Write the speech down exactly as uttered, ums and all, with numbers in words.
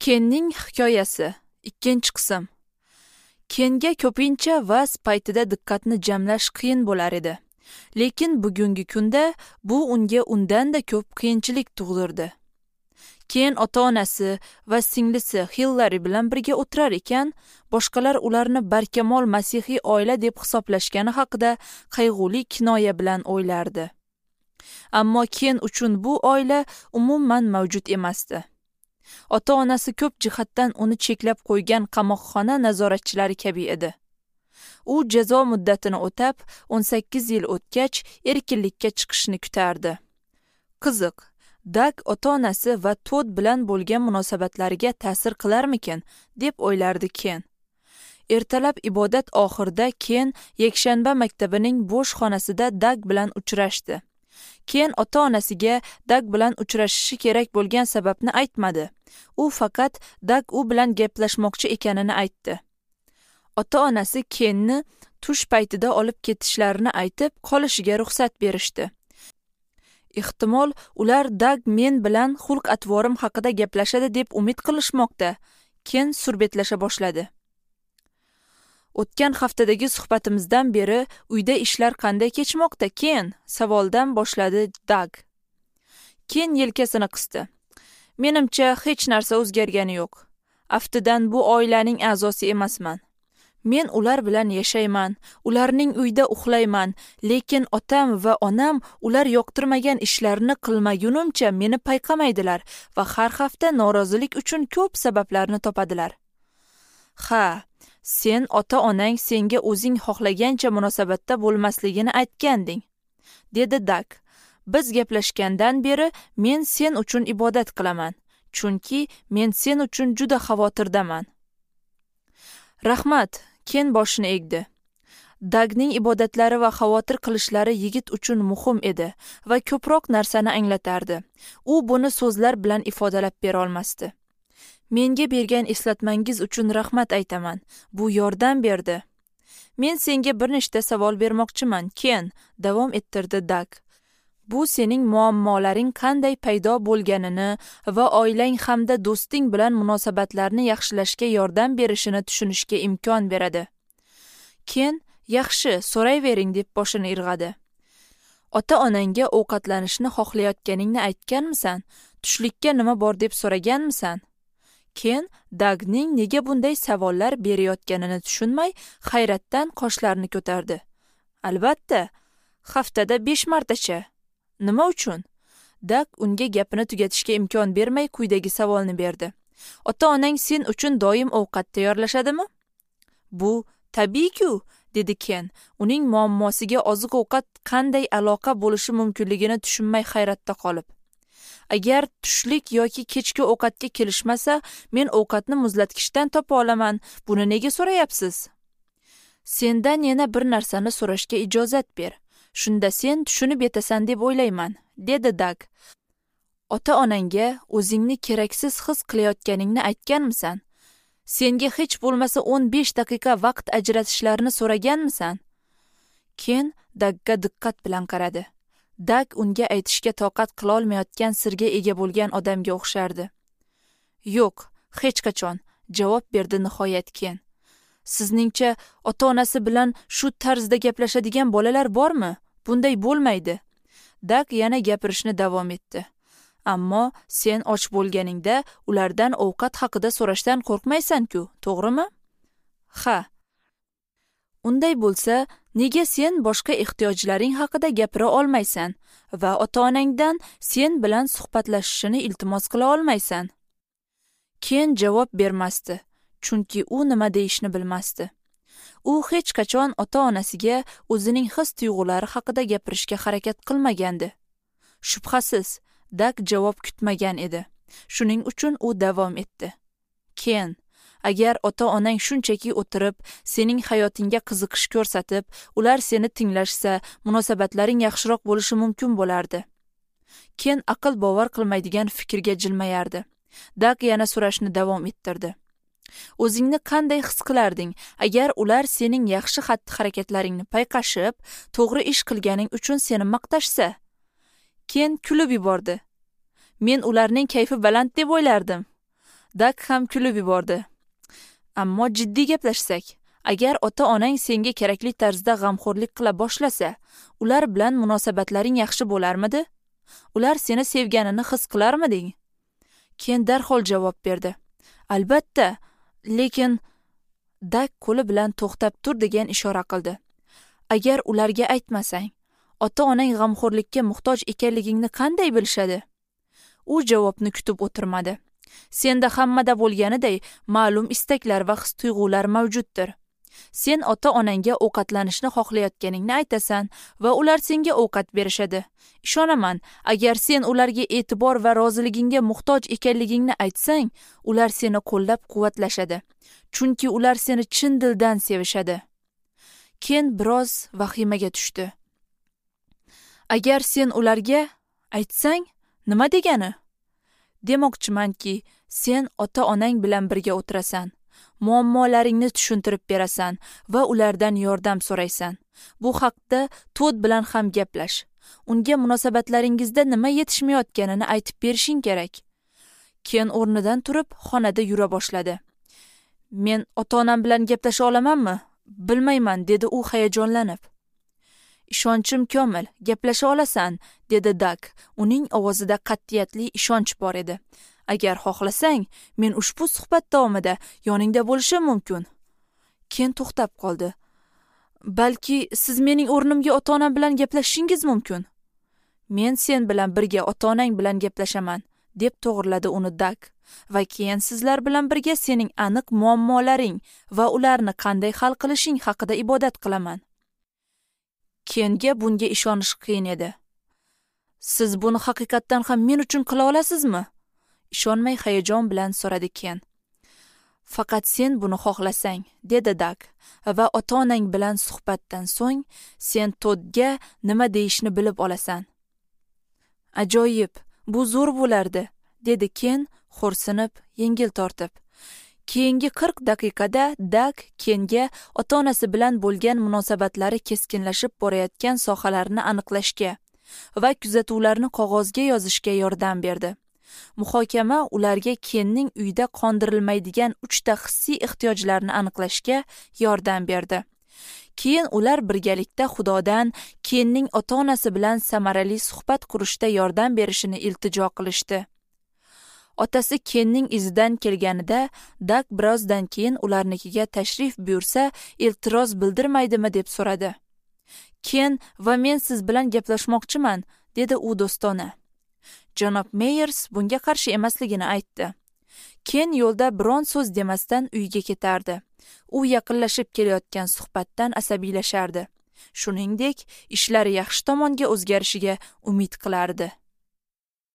Kenning hikoyasi, ikkinchi qism. Kenga ko'pincha vaz paytida diqqatni jamlash qiyin bo'lar edi. Lekin bugungi kunda bu unga undan-da ko'p qiyinchilik tug'dirdi. Ken ota-onasi va singlisi Hillari bilan birga o'tirar ekan, boshqalar ularni barkamol masihiy oila deb hisoblashgani haqida qayg'uli kinoya bilan o'ylardi. Ammo Ken uchun bu oila umuman mavjud emasdi. Ota-onasi ko'p jihatdan uni cheklab qo'ygan qamoqxona nazoratchilari kabi edi. U jazo muddatini o'tab, o'n sakkiz yil o'tgach erkinlikka chiqishni kutardi. Qiziq, Dag ota-onasi va Todd bilan bo'lgan munosabatlariga ta'sir qilarmikin, deb o'ylardi Ken. Ertalab ibodat oxirida Ken yakshanba maktabining bo'sh xonasida Dag bilan uchrashdi. Ken ota-onasiga Dag bilan uchrashishi kerak bo'lgan sababni aytmadi. U faqat Dag u bilan gaplashmoqchi ekanini aytdi. Ota-onasi Kenni tush paytida olib ketishlarini aytib, qolishiga ruxsat berishdi. Ehtimol, ular Dag men bilan xulq-atvorim haqida gaplashadi deb umid qilishmoqda. Ken surbetlasha boshladi. O'tgan haftadagi suhbatimizdan beri uyda ishlar qanday kechmoqda, Ken? Savoldan boshladi Dag. Ken yelkasini qisdi. Menimcha hech narsa o'zgargani yo'q. Aftidan bu oilaning a'zosi emasman. Men ular bilan yashayman, ularning uyda uxlayman, lekin otam va onam ular yoqtirmagan ishlarni qilmagunimcha meni payqamaydilar va har hafta norozilik uchun ko'p sabablarni topadilar. Ha, sen ota-onang senga o'zing xohlagancha munosabatda bo'lmasligini aytganding, dedi Dag. Biz gaplashgandan beri men sen uchun ibodat qilaman, chunki men sen uchun juda xavotirdaman. Rahmat, Ken boshini egdi. Dagning ibodatlari va xavotir qilishlari yigit uchun muhim edi va ko'proq narsani anglatardi. U buni so'zlar bilan ifodalab bera olmasdi. Menga bergan eslatmangiz uchun rahmat aytaman. Bu yordam berdi. Men senga bir nechta savol bermoqchiman, Ken, davom ettirdi Dag. Bu sening muammolaring qanday paydo bo'lganini va oilang hamda do'sting bilan munosabatlarni yaxshilashga yordam berishini tushunishga imkon beradi. Ken, yaxshi, so'rayvering deb boshini irg'adi. Ota-onangga ovqatlanishni xohlayotganingni aytganmisan? Tushlikka nima bor deb so'raganmisan? Ken Dagning nega bunday savollar berayotganini tushunmay, hayratdan qoshlarini ko'tardi. Albatta, haftada besh martacha. Nima uchun? Dag unga gapini tugatishga imkon bermay quyidagi savolni berdi. Ota-onang sen uchun doim ovqat tayyorlashadimi? Bu tabiiy-ku, dedi Ken. Uning muammosiga oziq-ovqat qanday aloqa bo'lishi mumkinligini tushunmay hayratda qolib. Agar tushlik yoki kechki ovqatga kelishmasa, men ovqatni muzlatgichdan topa olaman. Buni nega so'rayapsiz? Sendan yana bir narsani so'rashga ijozat ber. Shunda sen tushunib yetasan deb o'ylayman, dedi Dag. Ota-onangga o'zingni keraksiz his qilayotganingni aytganmisan? Senga hech bo'lmasa o'n besh daqiqa vaqt ajratishlarini so'raganmisan? Ken Dagga diqqat bilan qaradi. Dag unga aytishga toqat qila olmayotgan sirga ega bo'lgan odamga o'xshardi. Yo'q, hech qachon, javob berdi nihoyat Ken. Sizningcha ota-onasi bilan shu tarzda gaplashadigan bolalar bormi? Bunday bo'lmaydi. Dag yana gapirishni davom etdi. Ammo sen och bo'lganingda ulardan ovqat haqida so'rashdan qo'rqmaysan-ku, to'g'rimi? Ha. Unday bo'lsa, nega sen boshqa ehtiyojlaring haqida gapira olmaysan va ota-onangdan sen bilan suhbatlashishini iltimos qila olmaysan? Ken javob bermasdi, chunki u nima deyishni bilmasdi. U hech qachon ota-onasiga o'zining his-tuyg'ulari haqida gapirishga harakat qilmagandi. Shubhasiz, Dag javob kutmagan edi. Shuning uchun u davom etdi. Ken, agar ota-onang shunchaki o'tirib, sening hayotingga qiziqish ko'rsatib, ular seni tinglashsa, munosabatlaring yaxshiroq bo'lishi mumkin bo'lardi. Ken aql bovar qilmaydigan fikrga jilmayardi. Dag yana so'rashni davom ettirdi. O'zingni qanday his qilarding agar ular sening yaxshi xatti-harakatlaringni payqashib, to'g'ri ish qilganing uchun seni maqtashsa? Ken kulib yubordi. Men ularning kayfi baland deb o'ylardim. Dak ham kulib yubordi. Ammo jiddiy gaplashsak, agar ota-onang senga kerakli tarzda g'amxo'rlik qila boshlasa, ular bilan munosabatlaring yaxshi bo'larmidi? Ular seni sevganini his qilarmiding? Ken darhol javob berdi. Albatta, lekin Dak qo'li bilan to'xtab tur degan ishora qildi. Agar ularga aytmasang, ota-onang g'amxo'rlikka muhtoj ekanligingni qanday bilishadi? U javobni kutib o'tirmadi. Senda hammada bo'lganiday ma'lum istaklar va his-tuyg'ular mavjuddir. Sen ota-onangga ovqatlanishni xohlayotganingni aytasan va ular senga ovqat berishadi. Ishonaman, agar sen ularga e'tibor va roziligingga muhtoj ekanligingni aytsang, ular seni qo'llab-quvvatlashadi. Chunki ular seni chin dildan sevishadi. Ken biroz vahimaga tushdi. Agar sen ularga aytsang, nima degani? Demoqchimanki, sen ota-onang bilan birga o'tirasan, muammolaringni tushuntirib berasan va ulardan yordam so'raysan. Bu haqda Todd bilan ham gaplash. Unga munosabatlaringizda nima yetishmayotganini aytib berishing kerak. Ken o'rnidan turib, xonada yura boshladi. Men ota-onam bilan gaplasha olamanmi? Bilmayman, dedi u hayajonlanib. Ishonchim komil, gaplasha olasan, dedi Dak. Uning ovozida qat'iyatli ishonch bor edi. Agar xohlasang, men ushbu suhbat davomida yoningda bo'lishim mumkin. Ken to'xtab qoldi. Balki siz mening o'rnimga ota-onam bilan gaplashishingiz mumkin. Men sen bilan birga ota-onang bilan gaplashaman, deb to'g'riladi uni Dak. Va keyin sizlar bilan birga sening aniq muammolaring va ularni qanday hal qilishing haqida ibodat qilaman. Kenga bunga ishonish qiyin edi. Siz buni haqiqatdan ham men uchun qila olasizmi? Ishonmay hayajon bilan so'radi Ken. Faqat sen buni xohlasang, dedi Dak. Va ota-onang bilan suhbatdan so'ng sen Toddga nima deyishni bilib olasan. Ajoyib, bu zo'r bo'lardi, dedi Ken xo'rsinib, yengil tortib. Keyingi qirq daqiqada Dak Kenga ota-onasi bilan bo'lgan munosabatlari keskinlashib borayotgan sohalarni aniqlashga va kuzatuvlarni qog'ozga yozishga yordam berdi. Muhokama ularga Kenning uyda qondirilmaydigan uchta hissiy ehtiyojlarni aniqlashga yordam berdi. Keyin ular birgalikda Xudodan Kenning ota-onasi bilan samarali suhbat qurishda yordam berishini iltijo qilishdi. Otasi Kenning izidan kelganida Dak birozdan keyin ularnikiga tashrif buyursa, e'tiroz bildirmaydimi deb so'radi. Ken va men siz bilan gaplashmoqchiman, dedi u do'stona. Janob Meyers bunga qarshi emasligini aytdi. Ken yo'lda biron so'z demasdan uyga ketardi. U yaqinlashib kelayotgan suhbatdan asabiylashardi. Shuningdek, ishlari yaxshi tomonga o'zgarishiga umid qilardi.